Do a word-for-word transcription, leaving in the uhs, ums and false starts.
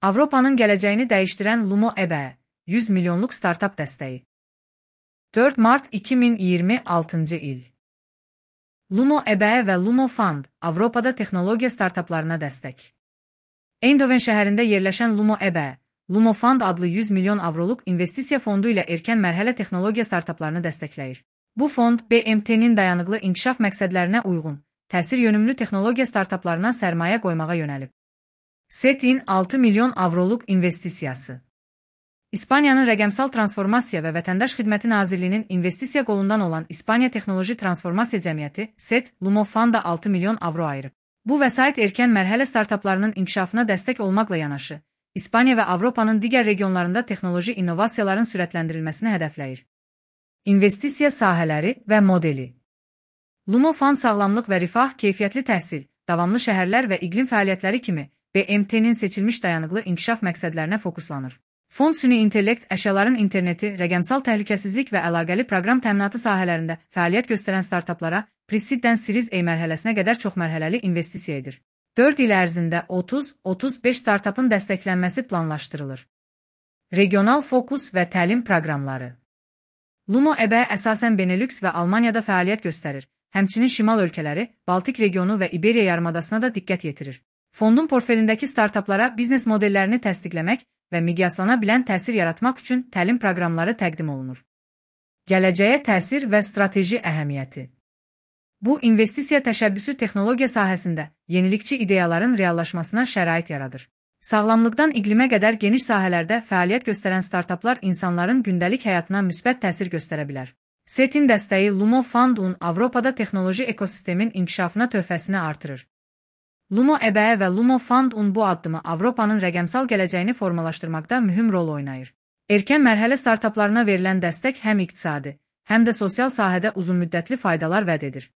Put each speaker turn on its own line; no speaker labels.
Avropanın gələcəyini dəyişdirən Lumo E B E, yüz milyonluq startap dəstəyi. dörd mart iki min iyirmi altıncı il. Lumo E B E və Lumo Fund, Avropada texnologiya startaplarına dəstək. Eindhoven şəhərində yerləşən Lumo E B E, Lumo Fund adlı yüz milyon avroluq investisiya fondu ilə erkən mərhələ texnologiya startaplarını dəstəkləyir. Bu fond, B M T-nin dayanıqlı inkişaf məqsədlərinə uyğun, təsir yönümlü texnologiya startaplarına sərmayə qoymağa yönəlib. S E T-in altı milyon avroluq investisiyası. İspaniyanın Rəqəmsal Transformasiya və Vətəndaş Xidməti Nazirliyinin investisiya qolundan olan İspaniya Texnoloji Transformasiya Cəmiyyəti, S E T, Lumo Funda altı milyon avro ayırıb. Bu vəsait erkən mərhələ startaplarının inkişafına dəstək olmaqla yanaşı, İspaniya və Avropanın digər regionlarında texnoloji innovasiyaların sürətləndirilməsini hədəfləyir. İnvestisiya sahələri və modeli. Lumo Fund sağlamlıq və rifah, keyfiyyətli təhsil, davamlı şəhərlər və iqlim fəaliyyətləri kimi B M T-nin seçilmiş dayanıqlı inkişaf məqsədlərinə fokuslanır. Fond süni intellekt, əşyaların interneti, rəqəmsal təhlükəsizlik və əlaqəli proqram təminatı sahələrində fəaliyyət göstərən startaplara Pre-Seed-dən Series A mərhələsinə qədər çoxmərhələli investisiya edir. dörd il ərzində otuz otuz beş startapın dəstəklənməsi planlaşdırılır. Regional fokus və təlim proqramları. Lumo E B E əsasən Benelux və Almaniyada fəaliyyət göstərir, həmçinin şimal ölkələri, Baltik regionu və İberiya yarımadasına da diqqət yetirir. Fondun portfelindəki startaplara biznes modellərini təsdiqləmək və miqyaslana bilən təsir yaratmaq üçün təlim proqramları təqdim olunur. Gələcəyə təsir və strateji əhəmiyyəti. Bu, investisiya təşəbbüsü texnologiya sahəsində yenilikçi ideyaların reallaşmasına şərait yaradır. Sağlamlıqdan iqlimə qədər geniş sahələrdə fəaliyyət göstərən startaplar insanların gündəlik həyatına müsbət təsir göstərə bilər. S E T-in dəstəyi Lumo Fund'un Avropada texnoloji ekosistemin inkişafına töhfəsini artırır. Lumo E B E və Lumo Fund'un bu addımı Avropanın rəqəmsal gələcəyini formalaşdırmaqda mühüm rol oynayır. Erkən mərhələ startaplarına verilən dəstək həm iqtisadi, həm də sosial sahədə uzunmüddətli faydalar vəd edir.